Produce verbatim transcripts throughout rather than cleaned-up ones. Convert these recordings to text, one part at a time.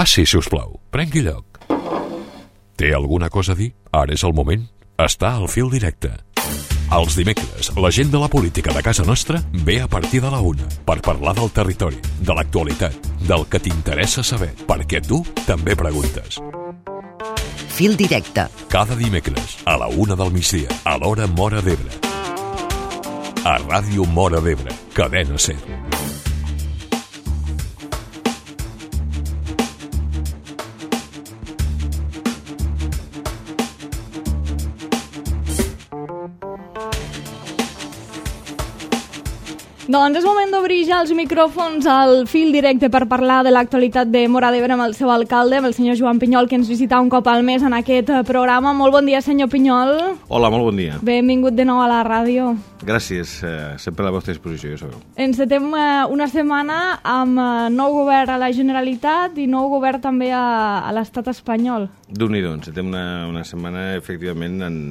Passi, si us plau. Prengui lloc. Té alguna cosa a dir? Ara és el moment. Està al Fil Directe. Els dimecres, la gent de la política de casa nostra ve a partir de la una per parlar del territori, de l'actualitat, del que t'interessa saber, perquè tu també preguntes. Fil Directe. Cada dimecres, a la una del migdia, a l'hora Móra d'Ebre. A Ràdio Móra d'Ebre, Cadena SER. Doncs és moment d'obrir ja els micròfons al Fil Directe per parlar de l'actualitat de Móra d'Ebre amb el seu alcalde, amb el senyor Joan Pinyol, que ens visita un cop al mes en aquest programa. Molt bon dia, senyor Pinyol. Hola, molt bon dia. Benvingut de nou a la ràdio. Gràcies, eh, sempre a la vostra disposició, ja sabeu. Encetem eh, una setmana amb eh, nou govern a la Generalitat i nou govern també a, a l'estat espanyol. Déu-n'hi-do, encetem una, una setmana, efectivament, en...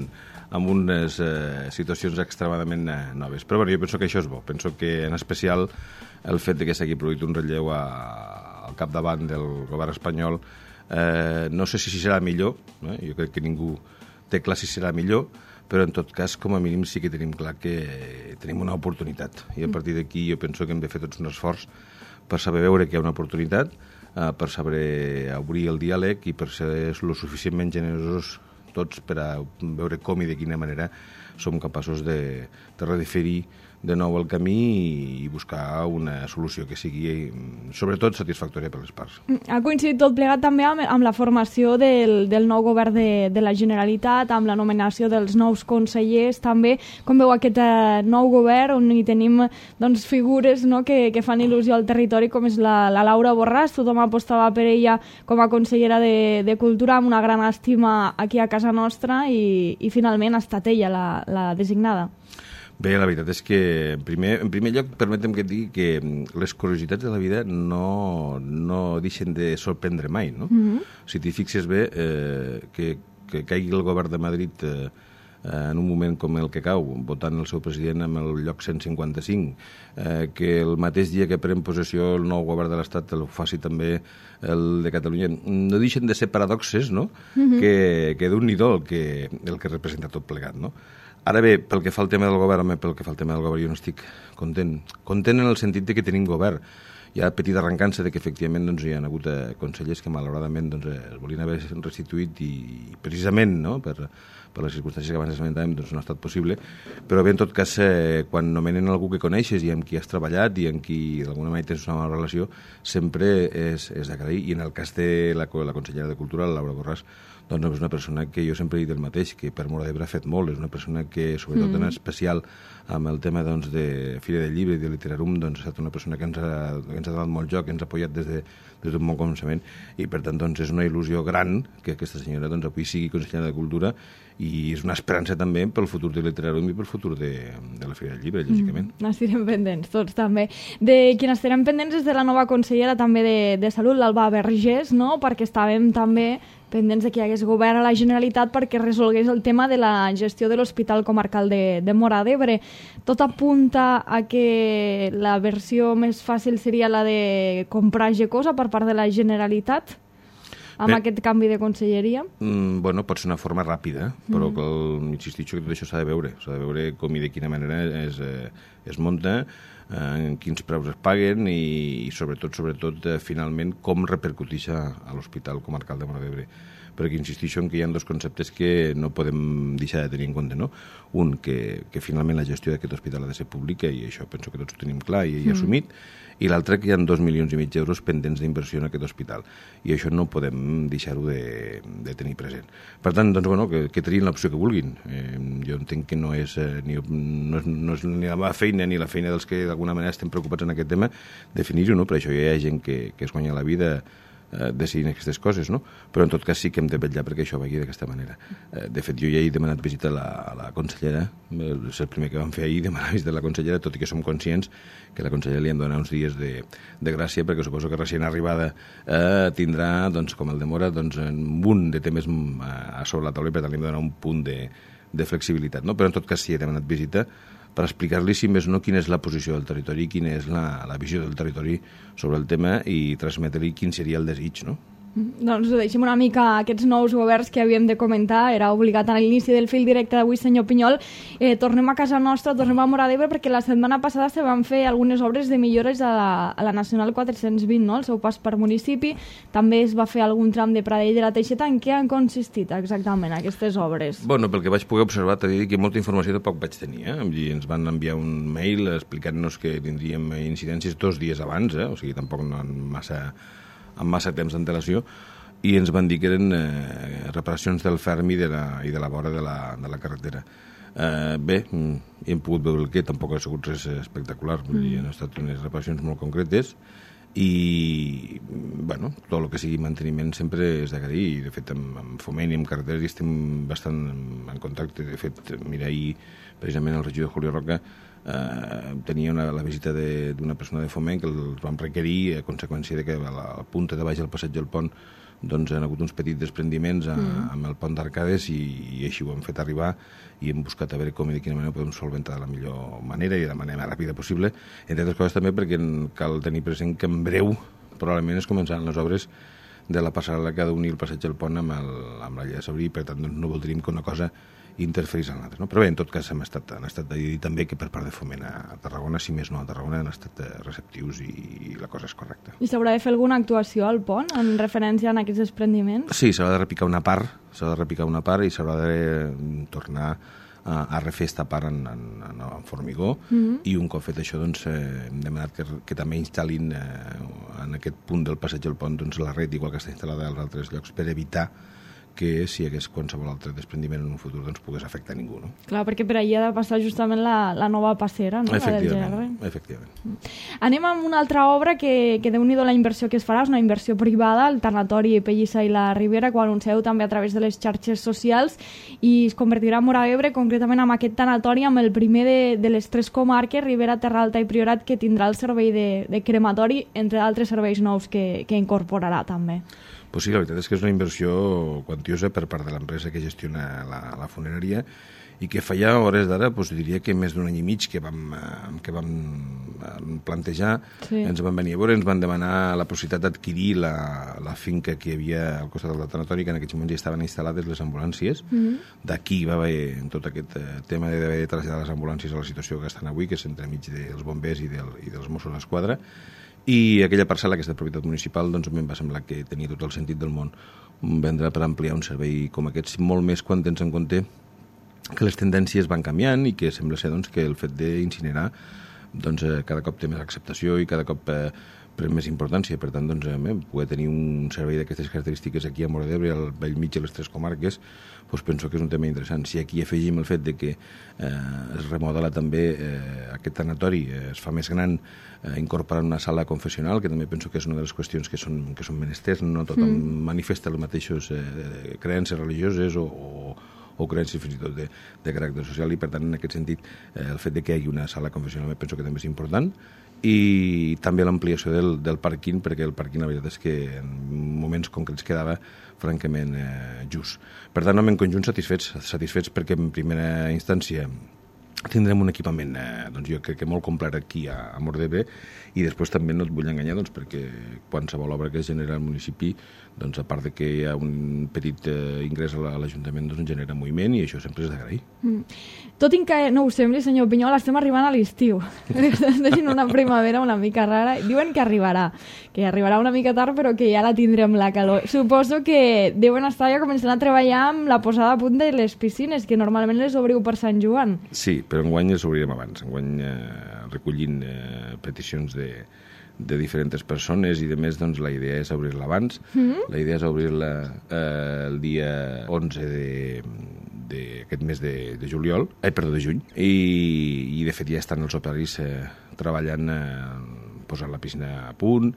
amb unes eh, situacions extremadament eh, noves. Però bueno, jo penso que això és bo. Penso que, en especial, el fet de que s'hagi produït un relleu a, al capdavant del govern espanyol, eh, no sé si serà millor, eh? Jo crec que ningú té clar si serà millor, però en tot cas, com a mínim, sí que tenim clar que tenim una oportunitat. I a partir d'aquí jo penso que hem de fer tots un esforç per saber veure que hi ha una oportunitat, eh, per saber obrir el diàleg i per ser lo suficientment generosos tots per a veure com i de quina manera som capaços de, de redefinir de nou el camí i buscar una solució que sigui, sobretot, satisfactòria per les parts. Ha coincidit tot plegat també amb, amb la formació del, del nou govern de, de la Generalitat, amb la nomenació dels nous consellers, també. Com veu aquest eh, nou govern, on hi tenim doncs, figures, no?, que, que fan il·lusió al territori, com és la, la Laura Borràs. Tothom apostava per ella com a consellera de, de Cultura, amb una gran estima aquí a casa nostra, i, i finalment ha estat ella la, la designada. Bé, la veritat és que, en primer, en primer lloc, permetem que et digui que les curiositats de la vida no, no deixen de sorprendre mai, no? Mm-hmm. Si t'hi fixes bé, eh, que, que caigui el govern de Madrid eh, en un moment com el que cau, votant el seu president amb el lloc cent cinquanta-cinc, eh, que el mateix dia que pren possessió el nou govern de l'Estat el faci també el de Catalunya, no deixen de ser paradoxes, no? Mm-hmm. Que, que d'un-n'hi-do el que, el que representa tot plegat, no? Ara bé, pel que fa al tema del govern, pel que fa al tema del govern, jo no estic content. Content en el sentit de que tenim govern. Hi ha petita arrencança de que efectivament doncs, hi ha hagut eh, consellers que malauradament doncs, eh, es volien haver restituït i, i precisament no, per, per les circumstàncies que abans esmentàvem doncs, no ha estat possible, però bé, en tot cas, eh, quan nomenen algú que coneixes i amb qui has treballat i amb qui d'alguna manera tens una bona relació, sempre és, és d'agrair. I en el cas de la, la consellera de Cultura, la Laura Borràs, doncs és una persona que jo sempre he dit el mateix, que per Móra d'Ebre ha fet molt, és una persona que, sobretot mm. en especial amb el tema doncs, de Fira del Llibre i de Literarum, doncs, ha estat una persona que ens ha, que ens ha donat molt joc, que ens ha apoyat des de, des d'un bon començament, i per tant doncs, és una il·lusió gran que aquesta senyora doncs, avui sigui consellera de Cultura, i és una esperança també pel futur de Literarum i pel futur de, de la Fira del Llibre, lògicament. Mm, n'estirem pendents, tots també. De qui n'estirem pendents és de la nova consellera també de, de Salut, l'Alba Vergés, no?, perquè estàvem també pendents de que hi hagués govern a la Generalitat perquè resolgués el tema de la gestió de l'Hospital Comarcal de, de Móra d'Ebre. Tot apunta a que la versió més fàcil seria la de comprar Gecosa per part de la Generalitat amb Bé, aquest canvi de conselleria? Mm, bueno, pot ser una forma ràpida, però mm. que el, insistixo que tot això s'ha de veure. S'ha de veure com i de quina manera es, eh, es munta, en quins preus es paguen i, i sobretot, sobretot eh, finalment, com repercuteix a, a l'Hospital Comarcal de Móra d'Ebre. Perquè insistixo en que hi ha dos conceptes que no podem deixar de tenir en compte, no? Un, que, que finalment la gestió d'aquest hospital ha de ser pública, i això penso que tots ho tenim clar i, i mm. assumit, i l'altre que hi ha dos milions i mig d'euros pendents d'inversió en aquest hospital, i això no podem deixar-ho de, de tenir present. Per tant, doncs, bueno, que, que triïn l'opció que vulguin. Eh, jo entenc que no és, eh, ni, no, és, no és ni la meva feina ni la feina dels que d'alguna manera estem preocupats en aquest tema definir-ho, no? Per això hi ha gent que, que es guanya la vida eh, decidint aquestes coses, no? Però en tot cas sí que hem de vetllar perquè això vagi d'aquesta manera. Eh, de fet, jo ja he demanat visita a la, a la consellera, és el primer que vam fer ahir, demanar visita a la consellera, tot i que som conscients que la consellera li hem donat uns dies de, de gràcia, perquè suposo que recient arribada eh, tindrà, doncs, com el de Móra, doncs, un munt de temes a sobre la taula, i per tant li hem de donar un punt de, de flexibilitat, no? Però en tot cas sí he demanat visita per explicar-li, si més no, quina és la posició del territori, quina és la, la visió del territori sobre el tema i transmetre-li quin seria el desig, no? Doncs deixem una mica aquests nous governs que havíem de comentar. Era obligat a l'inici del fil directe d'avui, senyor Pinyol. Eh, tornem a casa nostra, tornem a Móra d'Ebre, perquè la setmana passada se van fer algunes obres de millores a la, a la Nacional quatre-cents vint, no? El seu pas per municipi. També es va fer algun tram de Pradell de la Teixeta. En què han consistit exactament aquestes obres? Bueno, pel que vaig poder observar, t'he dit que molta informació tampoc vaig tenir. Eh? Ens van enviar un mail explicant-nos que tindríem incidències dos dies abans, eh? O sigui, tampoc no en massa... amb massa temps d'antelació, i ens van dir que eren eh, reparacions del ferm i de la, i de la vora de la, de la carretera. Eh, bé, hem pogut veure el que tampoc ha sigut res espectacular, vull dir, han estat unes reparacions molt concretes, i bueno, tot el que sigui manteniment sempre és d'agrair, i de fet amb, amb Foment i amb carreteres hi estem bastant en contacte. De fet, mira, ahir precisament el regidor Julio Roca eh, tenia una, la visita d'una persona de Foment que els vam requerir a conseqüència de que a la punta de baix del passeig del pont doncs han hagut uns petits desprendiments a, mm. amb el pont d'Arcades, i, i així ho hem fet arribar, i hem buscat a veure com i de quina manera ho podem solventar de la millor manera i de la manera més ràpida possible, entre altres coses també perquè cal tenir present que en breu probablement es començaran les obres de la passarel·la que ha d'unir el passeig del pont amb, el, amb la Llei de Sabrí, i per tant doncs, no voldríem que una cosa interferís en l'altre, no? Però bé, en tot cas hem estat, han estat de dir també que per part de Foment a Tarragona, si més no a Tarragona, han estat receptius i, i la cosa és correcta. I s'haurà de fer alguna actuació al pont en referència a aquests desprendiments? Sí, s'haurà de repicar una part, s'haurà de repicar una part i s'haurà de tornar a, a refer esta part en, en, en, en formigó, mm-hmm. i un cop fet això doncs, eh, hem demanat que, que també instal·lin eh, en aquest punt del passeig del pont doncs, la red, igual que està instal·lada als altres llocs, per evitar que si hi hagués qualsevol altre desprendiment en un futur doncs pogués afectar ningú, no? Clar, perquè per allà ha de passar justament la, la nova passera, no? Efectivament, efectivament. Anem amb una altra obra que, que déu-n'hi-do la inversió que es farà, és una inversió privada, el tanatori Pellissa i la Ribera, que ho anuncieu també a través de les xarxes socials, i es convertirà en Móra d'Ebre, concretament amb aquest tanatori, amb el primer de, de les tres comarques, Ribera, Terra Alta i Priorat, que tindrà el servei de, de crematori, entre altres serveis nous que, que incorporarà també. Pues sí, la veritat és que és una inversió quantiosa per part de l'empresa que gestiona la, la funerària, i que fa ja hores d'ara, doncs diria que més d'un any i mig que vam, que vam plantejar, sí. Ens van venir a veure, ens van demanar la possibilitat d'adquirir la, la finca que hi havia al costat del tanatori, que en aquests moments ja estaven instal·lades les ambulàncies. Mm-hmm. D'aquí va haver tot aquest tema d'haver de traslladar les ambulàncies a la situació que estan avui, que és entremig dels bombers i, del, i dels Mossos d'Esquadra. I aquella parcel·la, que és de propietat municipal, doncs a mi em va semblar que tenia tot el sentit del món vendre per ampliar un servei com aquest, molt més quan tens en compte que les tendències van canviant i que sembla ser doncs, que el fet d'incinerar doncs, cada cop té més acceptació i cada cop eh, pren més importància. Per tant, doncs, eh, poder tenir un servei d'aquestes característiques aquí a Móra d'Ebre, al bell mig de les tres comarques, doncs penso que és un tema interessant. Si aquí afegim el fet de que eh, es remodela també eh, aquest tanatori, eh, es fa més gran, eh, incorporant una sala confessional, que també penso que és una de les qüestions que són, que són menesters, no tothom mm. manifesta les mateixes eh, creences religioses o, o o creences fins i tot de, de caràcter social, i per tant en aquest sentit eh, el fet de que hi hagi una sala confessional penso que també és important, i també l'ampliació del, del pàrquing, perquè el pàrquing la veritat és que en moments concrets quedava francament eh, just. Per tant, en conjunt satisfets, satisfets perquè en primera instància tindrem un equipament, eh, doncs jo crec que molt complet aquí a, a Móra d'Ebre, i després també no et vull enganyar, doncs, perquè qualsevol obra que es genera al municipi, doncs, a part de que hi ha un petit eh, ingrés a l'Ajuntament, doncs, genera moviment, i això sempre és d'agrair. Mm. Tot i que no ho sembli, senyor Pinyol, estem arribant a l'estiu. Estem deixant una primavera una mica rara. Diuen que arribarà, que arribarà una mica tard, però que ja la tindrem, la calor. Suposo que deuen estar ja començant a treballar amb la posada a punt de les piscines, que normalment les obriu per Sant Joan. Sí, però enguany les obrirem abans. Enguany eh, recollint eh, peticions de, de diferents persones, i de més, doncs, la idea és obrir-la abans. Mm-hmm. La idea és obrir-la eh, el dia onze d'aquest mes de, de juliol, eh, perdó, de juny, i, i de fet ja estan els operaris eh, treballant, eh, posant la piscina a punt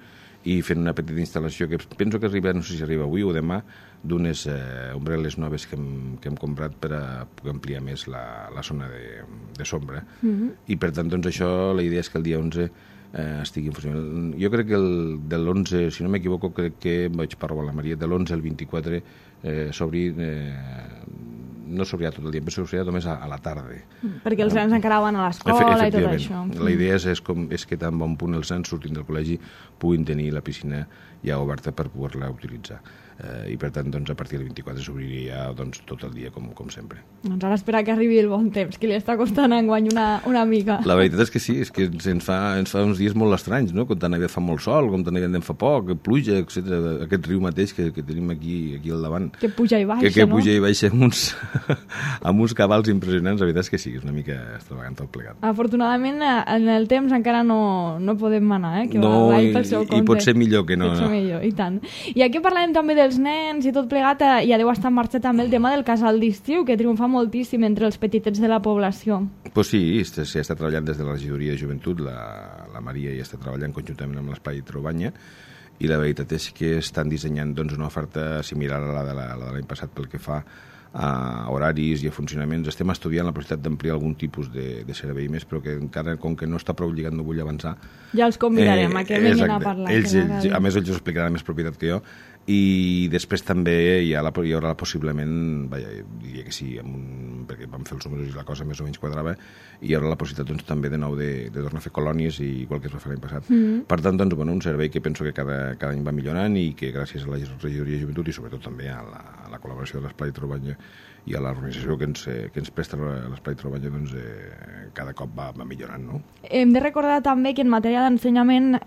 i fent una petita instal·lació que penso que arriba, no sé si arriba avui o demà, d'unes eh, ombrel·les noves que hem, que hem comprat per a poder ampliar més la, la zona de, de sombra. Mm-hmm. I per tant, doncs, això, la idea és que el dia onze eh, estigui en funcionament. Jo crec que el, de l'onze, si no m'equivoco, crec que vaig parlar amb la Maria, de l'onze al vint-i-quatre eh, s'obri, eh, no s'obrirà tot el dia, però s'obrirà només a, a la tarda. Perquè els nens encara van a l'escola i tot això. La idea és, és, com, és que tan bon punt els nens sortint del col·legi puguin tenir la piscina ja oberta per poder-la utilitzar. Eh, I per tant, doncs, a partir del vint-i-quatre s'obriria doncs, tot el dia, com, com sempre. Doncs ara espera que arribi el bon temps, que li està costant enguany una, una mica. La veritat és que sí, és que ens fa, ens fa uns dies molt estranys, no? Com tan aviat fa molt sol, com tan aviat en fa poc, pluja, etcètera. Aquest riu mateix que, que tenim aquí, aquí al davant. Que puja i baixa, que, que no? puja i baixa amb uns, amb uns cabals impressionants. La veritat és que sí, és una mica extravagant tot plegat. Afortunadament, en el temps encara no, no podem manar, eh? Que no, va, va i, pel seu compte. i pot ser millor que no. Pot ser no. millor, i tant. I aquí parlem també dels nens i tot plegat, ja deu estar en marxa també el tema del casal d'estiu, que triomfa moltíssim entre els petitets de la població. Pues sí, s'ha estat treballant des de la regidoria de joventut, la, la Maria ja està treballant conjuntament amb l'Espai Trobanya, i la veritat és que estan dissenyant doncs, una oferta similar a la de l'any passat pel que fa a horaris i a funcionaments. Estem estudiant la possibilitat d'ampliar algun tipus de, de servei més, però que encara, com que no està prou lligat, no vull avançar. Ja els convidarem eh, a que vinguin a parlar. Ells, ells, a més, ells ho explicaran més propietat que jo. I després també hi, ha la, hi haurà possiblement, vaja, diria que sí, amb un, perquè vam fer els números i la cosa més o menys quadrava, i hi haurà la possibilitat doncs, també de nou de, de tornar a fer colònies, i igual que es va fer l'any passat. Mm-hmm. Per tant, doncs, bueno, un servei que penso que cada, cada any va millorant i que gràcies a la regidoria de joventut i sobretot també a la, a la col·laboració de l'Espai Trobanya i a l'organització que ens, que ens presta l'Espai Trobanya, doncs, eh, cada cop va, va millorant, no? Hem de recordar també que en matèria d'ensenyament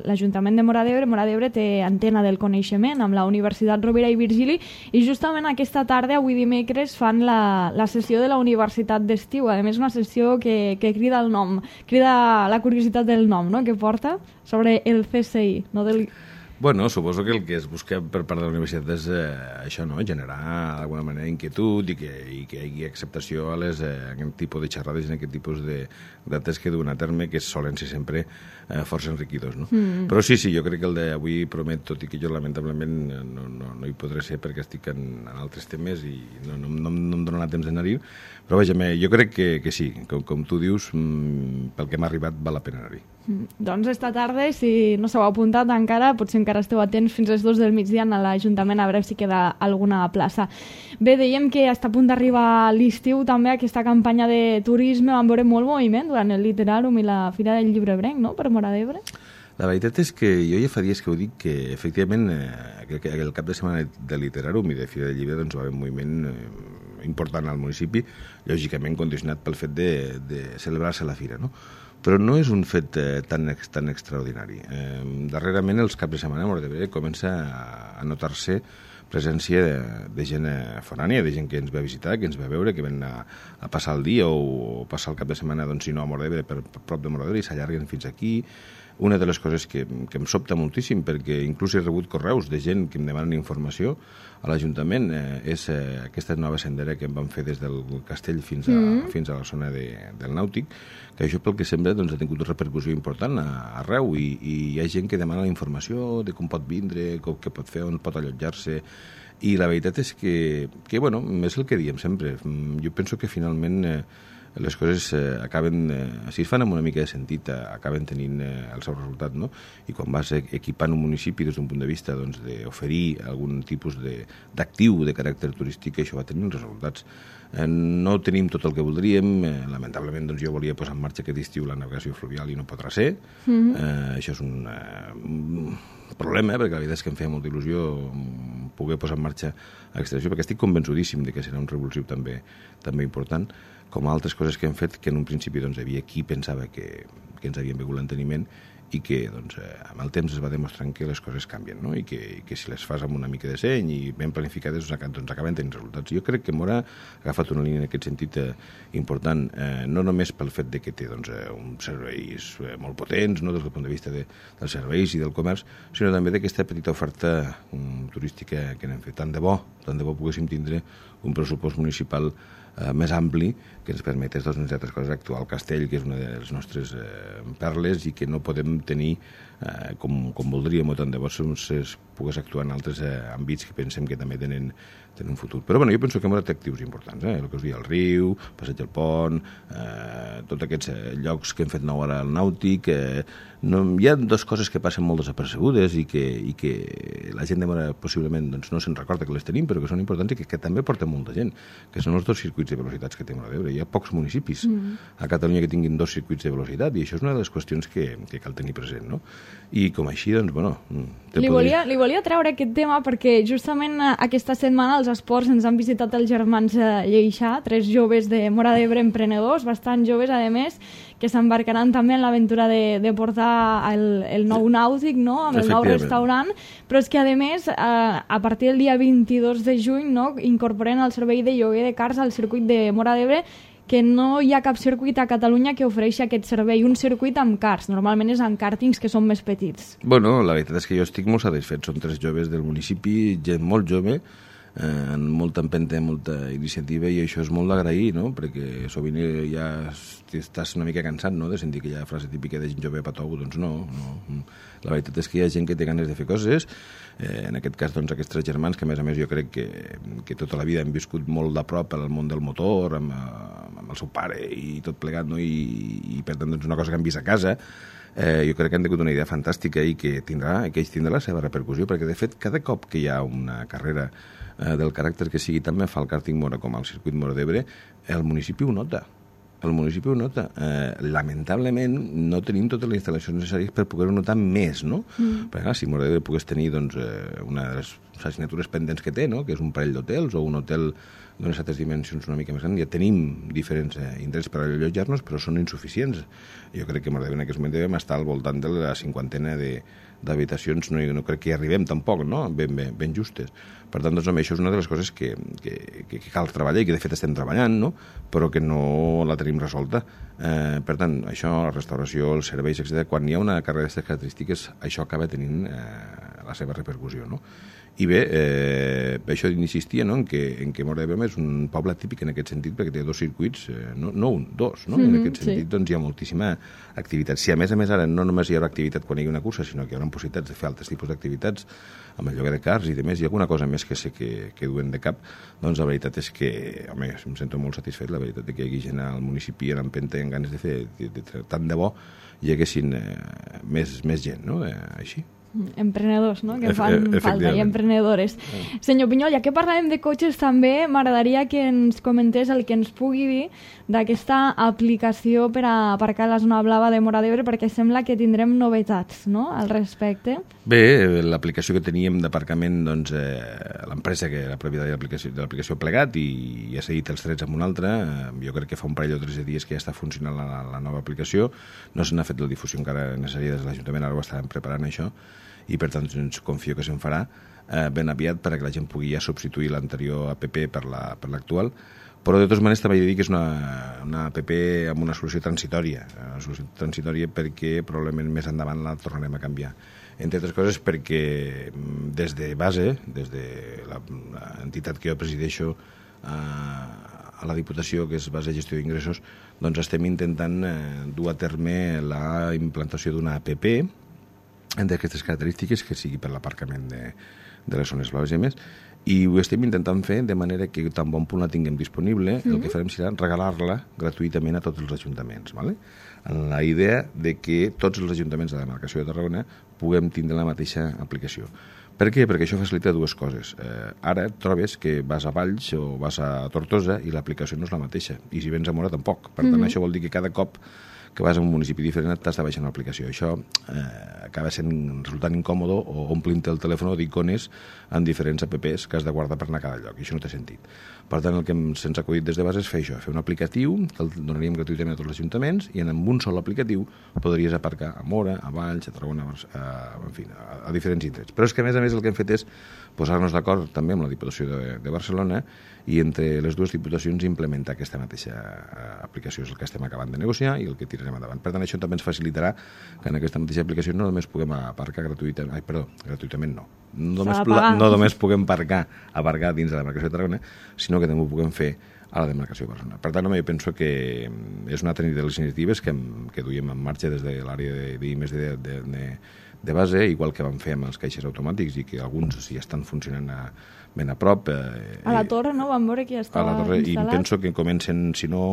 l'Ajuntament de Móra d'Ebre, Móra d'Ebre té antena del coneixement amb la Universitat Rovira i Virgili, i justament aquesta tarda, avui dimecres, fan la, la sessió de la Universitat d'Estiu. A més, una sessió que, que crida el nom, crida la curiositat del nom, no?, que porta sobre el C S I, no del... Bueno, suposo que el que es busca per part de la universitat és eh, això, no?, generar d'alguna manera inquietud i que, i que hi hagi acceptació a les, eh, aquest tipus de xerrades i a aquest tipus de dates que duen a terme, que solen ser sempre eh, força enriquidors, no? Mm. Però sí, sí, jo crec que el d'avui promet, tot i que jo lamentablement no, no, no hi podré ser perquè estic en, en altres temes i no, no, no, no em donarà temps d'anar-hi, però vaja, jo crec que, que sí, com, com tu dius, mm, pel que m'ha arribat val la pena anar-hi. Mm. Doncs esta tarda, si no s'heu apuntat encara, potser encara esteu atents fins a les dues del migdia a l'Ajuntament a veure si queda alguna plaça. Bé, dèiem que està a punt d'arribar l'estiu també aquesta campanya de turisme, vam veure molt moviment durant el Literàrum i la Fira del Llibre Ebrenc, no?, per Móra d'Ebre. La veritat és que jo ja fa dies que ho dic, que efectivament eh, el cap de setmana de Literàrum i de Fira del Llibre doncs, va haver un moviment eh, important al municipi, lògicament condicionat pel fet de, de celebrar-se la fira, no? Però no és un fet eh, tan, tan extraordinari. Eh, darrerament, els caps de setmana a Móra d'Ebre comença a, a notar-se presència de, de gent forània, de gent que ens ve a visitar, que ens ve a veure, que ven a, a passar el dia o, o passar el cap de setmana, doncs, si no a Móra d'Ebre, per, per prop de Móra d'Ebre, i s'allarguen fins aquí. Una de les coses que, que em sobta moltíssim, perquè inclús he rebut correus de gent que em demanen informació a l'Ajuntament, eh, és eh, aquesta nova sendera que em van fer des del castell fins a, mm. fins a la zona de, del Nàutic, que això pel que sembla doncs, ha tingut una repercussió important a, arreu, i, i hi ha gent que demana la informació de com pot vindre, com, què pot fer, on pot allotjar-se, i la veritat és que, que bueno, és el que diem sempre. Jo penso que finalment eh, les coses eh, acaben, eh, si es fan amb una mica de sentit, eh, acaben tenint eh, el seu resultat, no? I quan vas equipant un municipi des d'un punt de vista doncs, d'oferir algun tipus d'actiu de, de caràcter turístic, això va tenir resultats. Eh, no tenim tot el que voldríem, eh, lamentablement doncs, jo volia posar en marxa aquest estiu la navegació fluvial i no podrà ser. Mm-hmm. eh, això és un, eh, un problema, eh, perquè la veritat és que em feia molta il·lusió poder posar en marxa aquesta acció, perquè estic convençudíssim de que serà un revulsiu també, també important, com altres coses que hem fet, que en un principi doncs, havia qui pensava que, que ens havien begut l'enteniment, i que doncs, eh, amb el temps es va demostrant que les coses canvien, no? I que, que si les fas amb una mica de seny i ben planificades doncs, acaben tenint resultats. Jo crec que Móra ha agafat una línia en aquest sentit eh, important, eh, no només pel fet de que té doncs, eh, uns serveis eh, molt potents, no, des del punt de vista de, dels serveis i del comerç, sinó també d'aquesta petita oferta um, turística que n'hem fet. Tant de bo, tant de bo poguéssim tindre un pressupost municipal eh, més ampli que ens permetés, doncs, entre altres coses, actuar al castell, que és una de les nostres eh, perles i que no podem tenir eh, com, com voldríem, o tant de bo es pogués actuar en altres eh, àmbits que pensem que també tenen, tenen un futur. Però bueno, jo penso que hem de actius importants, eh? El que us dic, el riu, Passeig del Pont, eh, tots aquests eh, llocs que hem fet nou ara al Nàutic, eh, no, hi ha dues coses que passen molt desapercebudes i que, i que la gent de Mora possiblement doncs, no se'n recorda que les tenim, però que són importants i que, que també porten molta gent, que són els dos circuits de velocitats que té Móra d'Ebre. Hi ha pocs municipis mm. a Catalunya que tinguin dos circuits de velocitat i això és una de les qüestions que, que cal tenir present, no? I com així, doncs, bueno... Li volia, li volia treure aquest tema perquè justament aquesta setmana als esports ens han visitat els germans Lleixà, tres joves de Móra d'Ebre emprenedors, bastant joves, a més, que s'embarcaran també en l'aventura de, de portar el, el nou nàutic, no?, amb el nou restaurant, però és que, a més, a, a partir del dia vint-i-dos de juny, no?, incorporen el servei de lloguer de cars al circuit de Móra d'Ebre, que no hi ha cap circuit a Catalunya que ofereixi aquest servei, un circuit amb cars. Normalment és amb càrtings que són més petits. Bueno, la veritat és que jo estic molt satisfet. Són tres joves del municipi, gent molt jove, eh, amb molta empenta, molta iniciativa, i això és molt d'agrair, no?, perquè sovint ja estàs una mica cansat, no?, de sentir aquella frase típica de gent jove patou. Doncs no, no. La veritat és que hi ha gent que té ganes de fer coses. Eh, en aquest cas, doncs, aquests tres germans, que a més a més jo crec que, que tota la vida han viscut molt de prop al món del motor, amb, amb el seu pare i tot plegat, no?, i, i per tant, doncs, una cosa que han vist a casa, eh, jo crec que han tingut una idea fantàstica i que tindrà, que ells tindrà la seva repercussió, perquè de fet cada cop que hi ha una carrera eh, del caràcter que sigui, també fa el kàrting Móra com al circuit Móra d'Ebre, el municipi ho nota. El municipi ho nota. Eh, lamentablement no tenim totes les instal·lacions necessàries per poder-ho notar més, no? Mm. Perquè clar, si Móra d'Ebre pogués tenir doncs, eh, una de les assignatures pendents que té, no?, que és un parell d'hotels o un hotel d'unes altres dimensions una mica més grans, ja tenim diferents eh, indrets per allotjar-nos, però són insuficients. Jo crec que Móra d'Ebre en aquest moment devem estar al voltant de la cinquantena de d'habitacions, no, no crec que hi arribem tampoc, no?, ben, ben, ben justes. Per tant, doncs, això és una de les coses que, que, que cal treballar i que de fet estem treballant, no?, però que no la tenim resolta. Eh, per tant, això, la restauració, els serveis, etcètera, quan hi ha una carrera d'aquestes característiques, això acaba tenint eh, la seva repercussió, no? I bé, eh, això insistia, no?, en que, en que Móra d'Ebre és un poble típic en aquest sentit, perquè té dos circuits, eh, no, no un, dos, no? Mm-hmm, en aquest sentit, sí. Doncs hi ha moltíssima activitat. Si a més a més ara no només hi haurà activitat quan hi ha una cursa, sinó que hi haurà possibilitats de fer altres tipus d'activitats, amb el lloguer de cars i demés, i alguna cosa més que sé que, que duen de cap, doncs la veritat és que, home, em sento molt satisfet, la veritat és que hi hagi gent al municipi en empenta i en ganes de fer, de, de, de, tant de bo hi haguessin eh, més, més gent, no?, eh, així. Emprenedors, no?, que fan falta, i emprenedores. Senyor Pinyol, ja que parlàvem de cotxes també, m'agradaria que ens comentés el que ens pugui dir d'aquesta aplicació per a aparcar a la zona blava de Móra d'Ebre, perquè sembla que tindrem novetats, no?, al respecte. Bé, l'aplicació que teníem d'aparcament, doncs, eh, l'empresa que era propietat de l'aplicació plegat i ha cedit els drets amb una altra, eh, jo crec que fa un parell o tres dies que ja està funcionant la, la nova aplicació, no se n'ha fet la difusió encara necessària des de l'Ajuntament, ara ho estarem preparant això, i per tant doncs, confio que se'n farà eh, ben aviat perquè la gent pugui ja substituir l'anterior app per la, per l'actual, però de totes maneres també he de dir que és una, una app amb una solució transitòria, una solució transitòria perquè probablement més endavant la tornarem a canviar. Entre altres coses perquè des de base, des de l'entitat que jo presideixo eh, a la Diputació, que és Base de Gestió d'Ingressos, doncs estem intentant eh, dur a terme la implantació d'una app d'aquestes característiques que sigui per l'aparcament de, de les zones blaves i més, i ho estem intentant fer de manera que tan bon punt la tinguem disponible, mm-hmm. el que farem serà regalar-la gratuïtament a tots els ajuntaments, ¿vale? En la idea de que tots els ajuntaments de la demarcació de Tarragona puguem tindre la mateixa aplicació. Per què? Perquè això facilita dues coses. Eh, ara et trobes que vas a Valls o vas a Tortosa i l'aplicació no és la mateixa, i si vens a Móra tampoc. Per tant, mm-hmm. això vol dir que cada cop que vas a un municipi diferent t'has de baixar una aplicació. Això eh, acaba sent resultant incòmodo o omplint el telèfon d'icones en diferents apps que has de guardar per anar a cada lloc, i això no té sentit. Per tant, el que se'ns ha acudit des de base és fer això, fer un aplicatiu que el donaríem gratuïtament a tots els ajuntaments i amb un sol aplicatiu podries aparcar a Móra, a Valls, a Tarragona, a, en fi, a, a diferents indrets. Però és que a més a més el que hem fet és posar-nos d'acord també amb la Diputació de, de Barcelona i entre les dues diputacions implementar aquesta mateixa aplicació. És el que estem acabant de negociar i el que tirarem endavant. Per tant, això també ens facilitarà que en aquesta mateixa aplicació no només puguem aparcar gratuïtament, ai, perdó, gratuïtament no. No només, no només puguem aparcar, aparcar dins de la demarcació de Tarragona, sinó que també ho puguem fer a la demarcació de Barcelona. Per tant, home, jo penso que és una altra de les iniciatives que, que duiem en marxa des de l'àrea de, de, de, de, de, de base, igual que vam fer amb els caixers automàtics i que alguns sí estan funcionant a, ben a prop. Eh, a la torre, no? Vam veure que ja estava a la torre, instal·lat. I penso que comencen, si no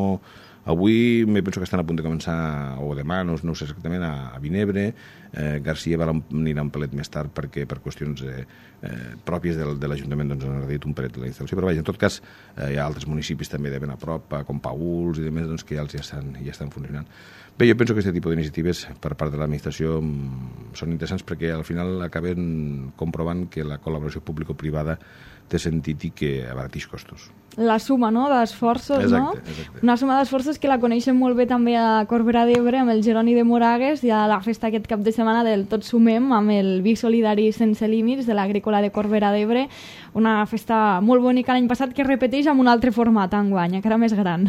avui, me penso que estan a punt de començar, o demà, no, no ho sé exactament, a, a Vinebre. eh, Garcia va anirà un pelet més tard perquè per qüestions eh, eh, pròpies del, de l'Ajuntament doncs han reduït un pelet la instal·lació, però vaja, en tot cas eh, hi ha altres municipis també de ben a prop, com Pauls i demés, doncs, que ja, els ja, estan, ja estan funcionant. Bé, jo penso que aquest tipus d'iniciatives per part de l'administració són interessants perquè al final acaben comprovant que la col·laboració público-privada té sentit i que abaratix costos. La suma, no?, d'esforços, no? Exacte. Una suma d'esforços que la coneixem molt bé també a Corbera d'Ebre amb el Jeroni de Moragues i a la festa aquest cap de setmana del Tots Sumem amb el Vi Solidari Sense Límits de l'Agrícola de Corbera d'Ebre. Una festa molt bonica l'any passat que es repeteix amb un altre format enguany, encara més gran.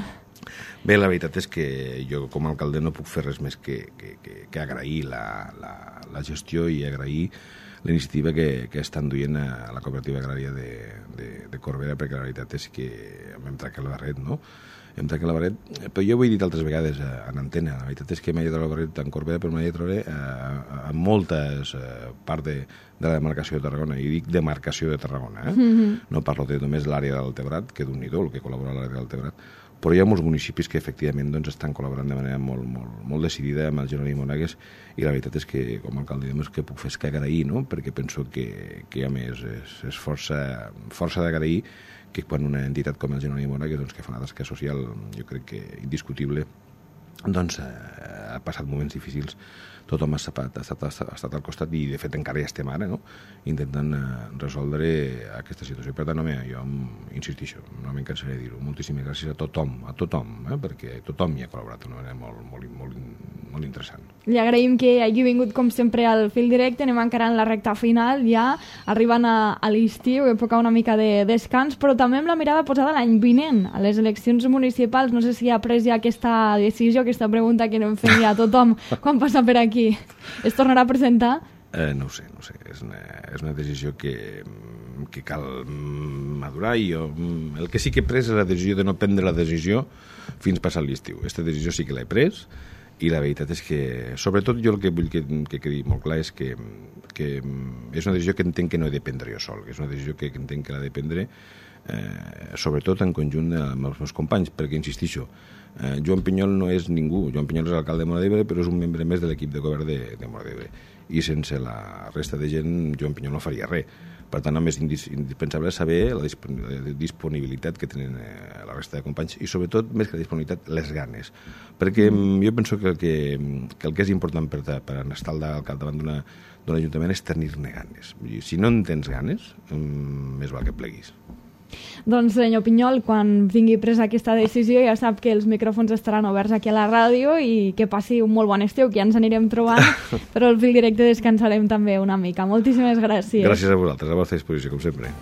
Bé, la veritat és que jo com a alcalde no puc fer res més que, que, que, que agrair la, la, la gestió i agrair la iniciativa que, que estan duient a la cooperativa agrària de, de, de Corbera, perquè la veritat és que hem trencat la barret, no? Hem trencat la barret, però jo ho he dit altres vegades en antena, la veritat és que m'he de trobar la barret en Corbera, però m'he de trobar a, a moltes eh, parts de, de la demarcació de Tarragona, i dic demarcació de Tarragona, eh? Mm-hmm. No parlo de només l'àrea del Tebrat, que d'un i do, el que col·labora a l'àrea del Tebrat, però hi ha molts municipis que efectivament doncs, estan col·laborant de manera molt, molt, molt decidida amb el Jeroni Moragues, i la veritat és que com a alcalde el que puc fer és que agrair, no? Perquè penso que, que a més és, és força, força d'agrair que quan una entitat com el Jeroni Moragues, doncs, que fa una tasca social, jo crec que indiscutible, doncs eh, ha passat moments difícils, tothom ha estat, ha, estat, ha estat al costat i de fet encara ja estem ara, no? Intentant eh, resoldre aquesta situació. Per tant, home, jo insistixo, no me'n cansaré de dir-ho, moltíssimes gràcies a tothom, a tothom, eh? Perquè tothom hi ha col·laborat d'una manera molt, molt, molt, molt interessant. Li agraïm que hagi vingut com sempre al fil directe, anem encara en la recta final, ja arribant a, a l'estiu, època una mica de descans, però també amb la mirada posada l'any vinent, a les eleccions municipals. No sé si ha pres ja aquesta decisió, aquesta pregunta que anem fent ja a tothom quan passa per aquí. Es tornarà a presentar? Eh, no ho sé, no ho sé. És una, és una decisió que, que cal madurar i jo, el que sí que he pres és la decisió de no prendre la decisió fins passat l'estiu. Aquesta decisió sí que l'he pres i la veritat és que, sobretot jo el que vull que, que quedi molt clar és que, que és una decisió que entenc que no he de prendre jo sol, que és una decisió que entenc que l'ha de prendre eh, sobretot en conjunt amb els meus companys, perquè insistixo, eh, Joan Pinyol no és ningú, Joan Pinyol és l'alcalde de Móra d'Ebre, però és un membre més de l'equip de govern de, de Móra d'Ebre, i sense la resta de gent Joan Pinyol no faria res. Per tant, el més indispensable és saber la disponibilitat que tenen la resta de companys i, sobretot, més que la disponibilitat, les ganes. Perquè jo penso que el que, que, el que és important per, per estar al davant d'un ajuntament és tenir-ne ganes. Si no en tens ganes, més val que pleguis. Doncs, senyor Pinyol, quan vingui presa aquesta decisió ja sap que els micròfons estaran oberts aquí a la ràdio i que passi un molt bon estiu, que ja ens anirem trobant, però al fil directe descansarem també una mica. Moltíssimes gràcies. Gràcies a vosaltres, a la vostra disposició, com sempre.